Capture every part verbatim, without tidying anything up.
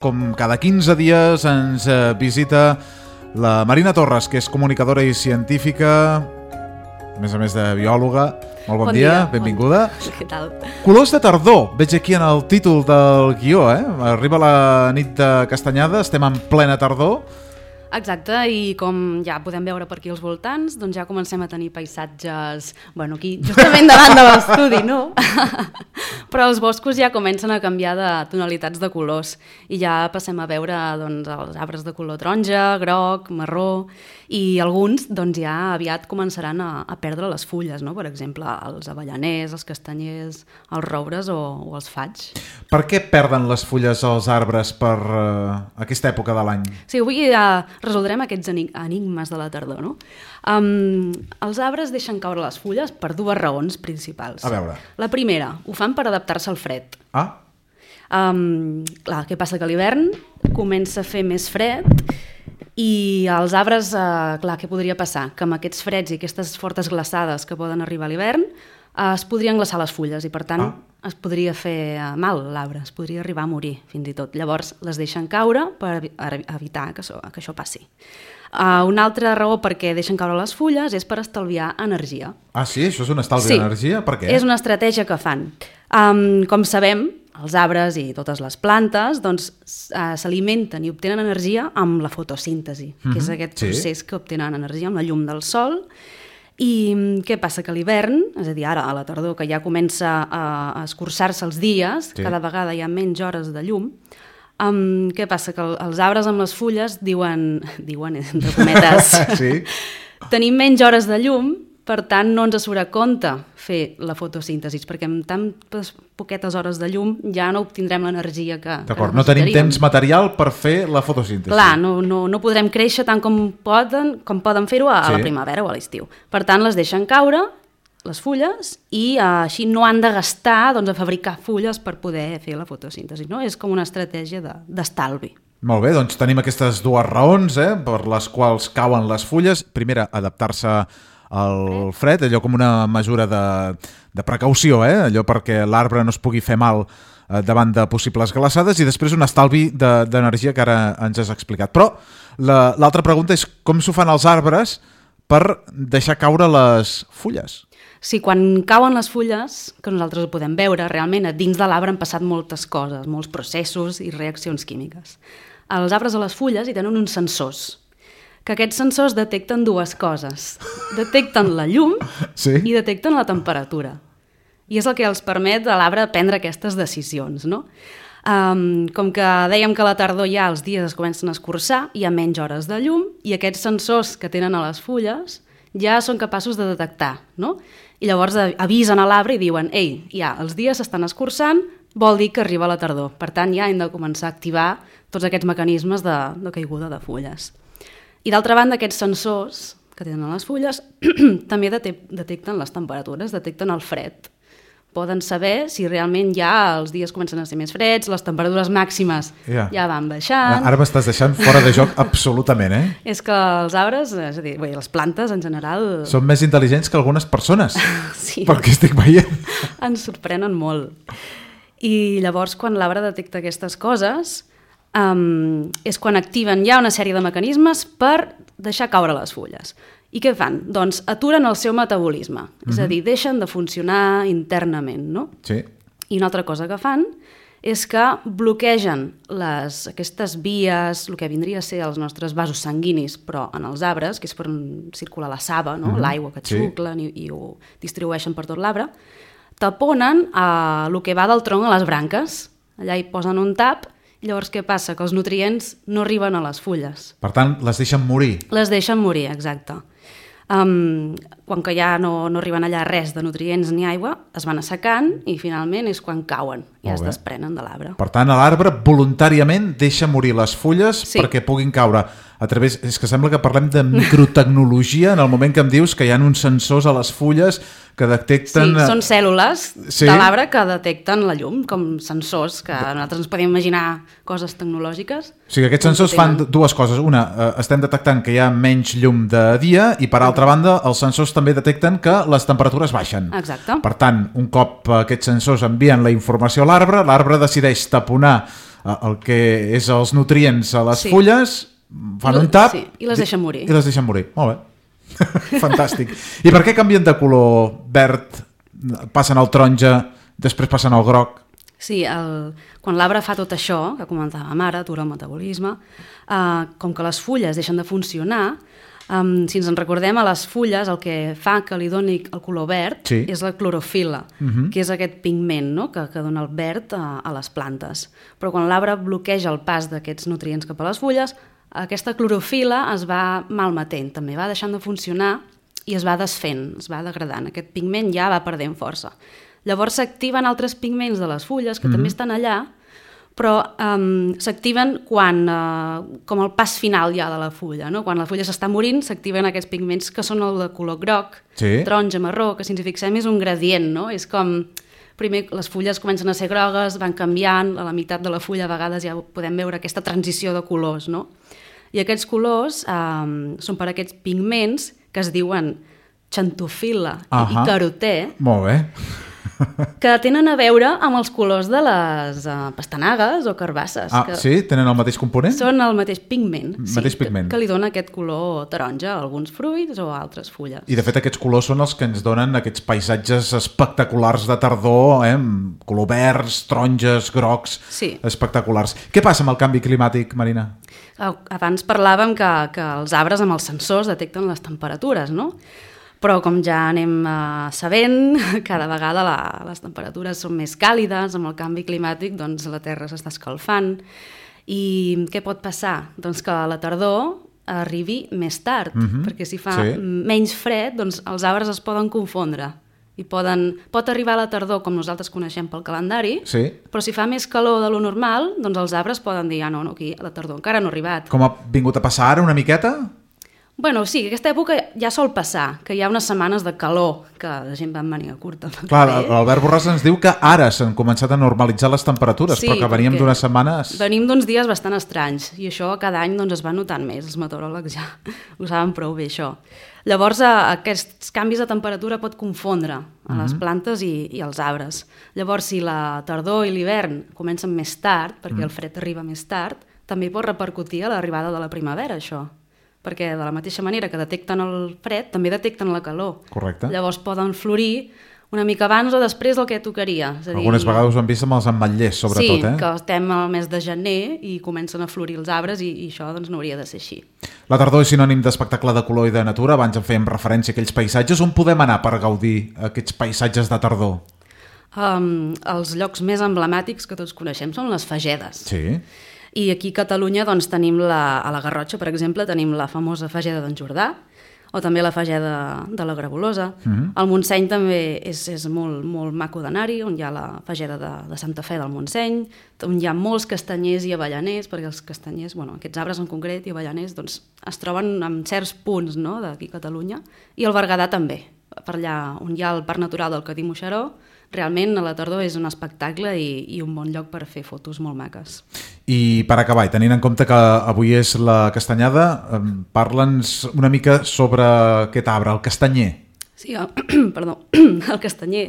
Com cada quinze dies ens visita la Marina Torres, que és comunicadora i científica, a més a més de biòloga. Molt bon, bon dia, dia, benvinguda. Bon... Què tal? Colors de tardor, veig aquí en el títol del guió, eh? Arriba la nit de Castanyada, estem en plena tardor. Exacte, i com ja podem veure per aquí als voltants, doncs ja comencem a tenir paisatges, bueno, aquí justament davant de l'estudi, no? Però els boscos ja comencen a canviar de tonalitats de colors i ja passem a veure doncs, els arbres de color taronja, groc, marró, i alguns doncs, ja aviat començaran a, a perdre les fulles, no? Per exemple, els avellaners, els castanyers, els roures o, o els faigs. Per què perden les fulles als arbres per uh, aquesta època de l'any? Sí, avui ja resoldrem aquests enigmes de la tardor, no? Um, els arbres deixen caure les fulles per dues raons principals. A veure. La primera, ho fan per adaptar-se al fred. Ah. Um, clar, què passa? Que a l'hivern comença a fer més fred i els arbres, uh, clar, què podria passar? Que amb aquests freds i aquestes fortes glaçades que poden arribar a l'hivern uh, es podrien glaçar les fulles i per tant ah. es podria fer uh, mal l'arbre, es podria arribar a morir fins i tot. Llavors les deixen caure per evitar que això, que això passi. Uh, una altra raó perquè deixen caure les fulles és per estalviar energia. Ah, sí? Això és un estalvi sí. d'energia? Per què? És una estratègia que fan. Um, com sabem, els arbres i totes les plantes doncs, uh, s'alimenten i obtenen energia amb la fotosíntesi, mm-hmm. que és aquest sí. procés que obtenen energia amb la llum del sol. I què passa? Que a l'hivern, és a dir, ara a la tardor, que ja comença a, a escurçar-se els dies, sí. cada vegada hi ha menys hores de llum, um, què passa? Que els arbres amb les fulles diuen, diuen entre cometes, sí. tenim menys hores de llum, per tant no ens surt a compte fer la fotosíntesi, perquè amb tan poquetes hores de llum ja no obtindrem l'energia que, que D'acord, no tenim temps material per fer la fotosíntesi. Clar, no, no, no podrem créixer tant com poden, com poden fer-ho a, sí. a la primavera o a l'estiu. Per tant, les deixen caure, les fulles, i uh, així no han de gastar doncs, a fabricar fulles per poder fer la fotosíntesi. No? És com una estratègia de, d'estalvi. Molt bé, doncs tenim aquestes dues raons eh, per les quals cauen les fulles. Primera, adaptar-se al fred, allò com una mesura de, de precaució, eh? Allò perquè l'arbre no es pugui fer mal eh, davant de possibles glaçades, i després un estalvi de, d'energia que ara ens has explicat. Però la, l'altra pregunta és com s'ho fan els arbres per deixar caure les fulles? Sí, quan cauen les fulles, que nosaltres ho podem veure, realment a dins de l'arbre han passat moltes coses, molts processos i reaccions químiques. Els arbres a les fulles hi tenen uns sensors, que aquests sensors detecten dues coses. Detecten la llum sí. i detecten la temperatura. I és el que els permet a l'arbre prendre aquestes decisions, no? Um, com que dèiem que a la tardor ja els dies es comencen a escurçar, hi ha menys hores de llum i aquests sensors que tenen a les fulles ja són capaços de detectar, no? I llavors avisen a l'arbre i diuen ei, ja, els dies s'estan escurçant, vol dir que arriba la tardor. Per tant, ja hem de començar a activar tots aquests mecanismes de, de caiguda de fulles. I d'altra banda, aquests sensors que tenen a les fulles també detecten les temperatures, detecten el fred. Poden saber si realment ja els dies comencen a ser més freds, les temperatures màximes yeah. ja van baixant. Ara m'estàs deixant fora de joc absolutament, eh? És que els arbres, és a dir, bé, les plantes en general... Són més intel·ligents que algunes persones, sí. perquè estic veient. Ens sorprenen molt. I llavors, quan l'arbre detecta aquestes coses... Um, és quan activen ja una sèrie de mecanismes per deixar caure les fulles. I què fan? Doncs aturen el seu metabolisme, mm-hmm. és a dir, deixen de funcionar internament, no? Sí. I una altra cosa que fan és que bloquegen les, aquestes vies, el que vindria a ser els nostres vasos sanguinis, però en els arbres, que és per circular la saba, no? Mm-hmm. L'aigua que xuclen sí. i, i ho distribueixen per tot l'arbre, taponen uh, el que va del tronc a les branques. Allà hi posen un tap. Llavors, què passa? Que els nutrients no arriben a les fulles. Per tant, les deixen morir. Les deixen morir, exacte. Um, quan que ja no, no arriben allà res de nutrients ni aigua, es van assecant i finalment és quan cauen i es desprenen de l'arbre. Per tant, l'arbre voluntàriament deixa morir les fulles sí. perquè puguin caure. A través, és que sembla que parlem de microtecnologia en el moment que em dius que hi ha uns sensors a les fulles que detecten... Sí, són cèl·lules sí. de l'arbre que detecten la llum, com sensors, que nosaltres ens podem imaginar coses tecnològiques. O sigui, aquests sensors fan dues coses. Una, eh, estem detectant que hi ha menys llum de dia i, per altra banda, els sensors també detecten que les temperatures baixen. Exacte. Per tant, un cop aquests sensors envien la informació a l'arbre, l'arbre decideix taponar el que és els nutrients a les sí. fulles, fan un tap sí, i les deixen morir. I les deixen morir, molt bé. Fantàstic. I per què canvien de color verd, passen al taronja, després passen al groc? Sí, el, quan l'arbre fa tot això, que comentàvem ara, atura el metabolisme, eh, com que les fulles deixen de funcionar, Um, si ens en recordem, a les fulles el que fa que li doni el color verd sí. és la clorofil·la, uh-huh. que és aquest pigment, no?, que, que dona el verd a, a les plantes. Però quan l'arbre bloqueja el pas d'aquests nutrients cap a les fulles, aquesta clorofil·la es va malmetent, també va deixant de funcionar i es va desfent, es va degradant. Aquest pigment ja va perdent força. Llavors s'activen altres pigments de les fulles que uh-huh. també estan allà, però um, s'activen quan, uh, com el pas final ja de la fulla, no? Quan la fulla s'està morint, s'activen aquests pigments que són el de color groc, sí. taronja, marró, que si ens hi fixem és un gradient, no? És com, primer les fulles comencen a ser grogues, van canviant, a la meitat de la fulla a vegades ja podem veure aquesta transició de colors, no? I aquests colors um, són per aquests pigments que es diuen xantofil·la uh-huh. i carotè. Molt bé. Que tenen a veure amb els colors de les uh, pastanagues o carbasses. Ah, que sí? Tenen el mateix component? Són el mateix pigment, mateix sí, pigment. Que, que li dona aquest color taronja a alguns fruits o a altres fulles. I de fet aquests colors són els que ens donen aquests paisatges espectaculars de tardor, eh? Color verds, taronges, grocs, sí. espectaculars. Què passa amb el canvi climàtic, Marina? Abans parlàvem que, que els arbres amb els sensors detecten les temperatures, no? Però com ja anem uh, sabent, cada vegada la, les temperatures són més càlides, amb el canvi climàtic doncs la Terra s'està escalfant. I què pot passar? Doncs que la tardor arribi més tard, mm-hmm. perquè si fa sí. menys fred, doncs els arbres es poden confondre. I poden, pot arribar a la tardor, com nosaltres coneixem pel calendari, sí. però si fa més calor de lo normal, doncs els arbres poden dir, ah, no, no, aquí la tardor encara no ha arribat. Com ha vingut a passar ara una miqueta? Bueno, sí, aquesta època ja sol passar, que hi ha unes setmanes de calor, que la gent va en màniga curta. Clar, l'Albert Borràs ens diu que ara s'han començat a normalitzar les temperatures, sí, però que veníem d'unes setmanes... Venim d'uns dies bastant estranys, i això cada any doncs, es va notant més, els meteoròlegs ja ho saben prou bé, això. Llavors, aquests canvis de temperatura pot confondre a les plantes i, i els arbres. Llavors, si la tardor i l'hivern comencen més tard, perquè el fred arriba més tard, també pot repercutir a l'arribada de la primavera, això. Perquè de la mateixa manera que detecten el fred, també detecten la calor. Correcte. Llavors poden florir una mica abans o després del que tocaria. És a dir, algunes vegades ho hem vist amb els ametllers, sobretot. Sí, eh? que estem al mes de gener i comencen a florir els arbres i, i això doncs, no hauria de ser així. La tardor és sinònim d'espectacle de color i de natura. Abans en fèiem referència a aquells paisatges. On podem anar per gaudir aquests paisatges de tardor? Um, els llocs més emblemàtics que tots coneixem són les fagedes. Sí. I aquí a Catalunya doncs, tenim la, a la Garrotxa, per exemple, tenim la famosa fageda d'en Jordà, o també la fageda de la Grabolosa. Mm-hmm. El Montseny també és, és molt, molt maco d'anar-hi, on hi ha la fageda de, de Santa Fe del Montseny, on hi ha molts castanyers i avellaners, perquè els castanyers, bueno, aquests arbres en concret i avellaners, doncs, es troben en certs punts, no?, d'aquí a Catalunya, i el Berguedà també, per allà on hi ha el Parc Natural del Cadí-Moixeró. Realment a la tardor és un espectacle i, i un bon lloc per fer fotos molt maques. I per acabar, i tenint en compte que avui és la castanyada, parla'ns una mica sobre aquest arbre, el castanyer. Sí, el, perdó, el castanyer,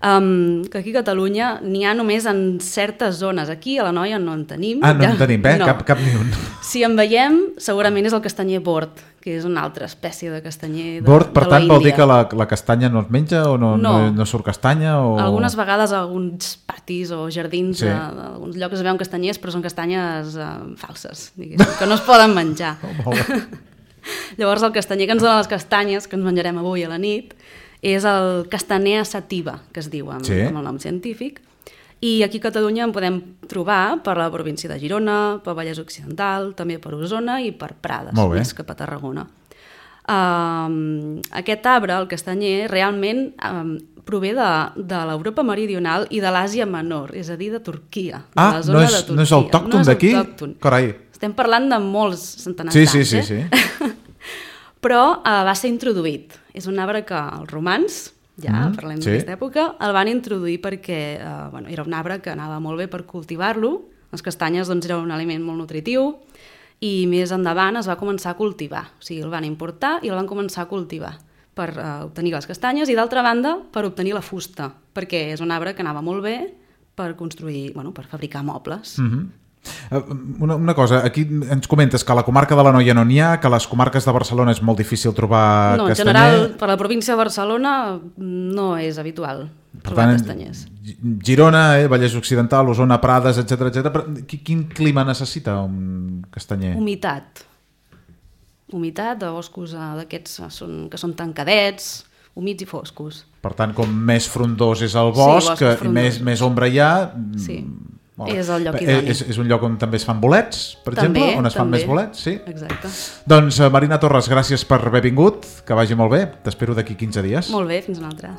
um, que aquí a Catalunya n'hi ha només en certes zones. Aquí a la Noia no en tenim. Ah, no ja, en tenim, eh? No. Cap, cap ni un. Si en veiem, segurament és el castanyer bord, que és una altra espècie de castanyer de, bord, per de tant, la vol dir que la, la castanya no es menja o no, no. no, no surt castanya? O... Algunes vegades a alguns patis o jardins sí. d'alguns llocs es veuen castanyers, però són castanyes uh, falses, diguéssim, que no es poden menjar. Oh, Llavors el castanyer que ens dona les castanyes, que ens menjarem avui a la nit, és el castanea sativa, que es diu amb, sí. amb el nom científic. I aquí a Catalunya en podem trobar per la província de Girona, per Vallès Occidental, també per Osona i per Prades, més cap a Tarragona. Um, aquest arbre, el castanyer, realment um, prové de, de l'Europa meridional i de l'Àsia Menor, és a dir, de Turquia. De ah, la zona no, és, de Turquia. no és autòcton d'aquí? Carai. Estem parlant de molts centenars sí, d'anys, sí, sí, eh? sí. Però uh, va ser introduït. És un arbre que els romans, ja mm, parlem sí. d'aquesta època, el van introduir perquè uh, bueno, era un arbre que anava molt bé per cultivar-lo. Les castanyes doncs, era un aliment molt nutritiu i més endavant es va començar a cultivar. O sigui, el van importar i el van començar a cultivar per uh, obtenir les castanyes i, d'altra banda, per obtenir la fusta, perquè és un arbre que anava molt bé per construir, bueno, per fabricar mobles. Mm-hmm. Una, una cosa, aquí ens comentes que a la comarca de l'Anoia no n'hi ha, que a les comarques de Barcelona és molt difícil trobar no, castanyer. En general, per la província de Barcelona no és habitual per trobar tant, castanyers. Girona, eh, Vallès Occidental, Osona, Prades, etcètera, etcètera. Quin clima necessita un castanyer? Humitat. Humitat, de boscos eh, d'aquests són, que són tancadets, humits i foscos. Per tant, com més frondós és el bosc, sí, bosc més, més ombra hi ha... Sí. Molt. És el lloc idoni. És, és un lloc on també es fan bolets, per també, exemple? On es fan també. més bolets? Sí? Exacte. Doncs, Marina Torres, gràcies per haver vingut, que vagi molt bé. T'espero d'aquí quinze dies. Molt bé, fins una altra.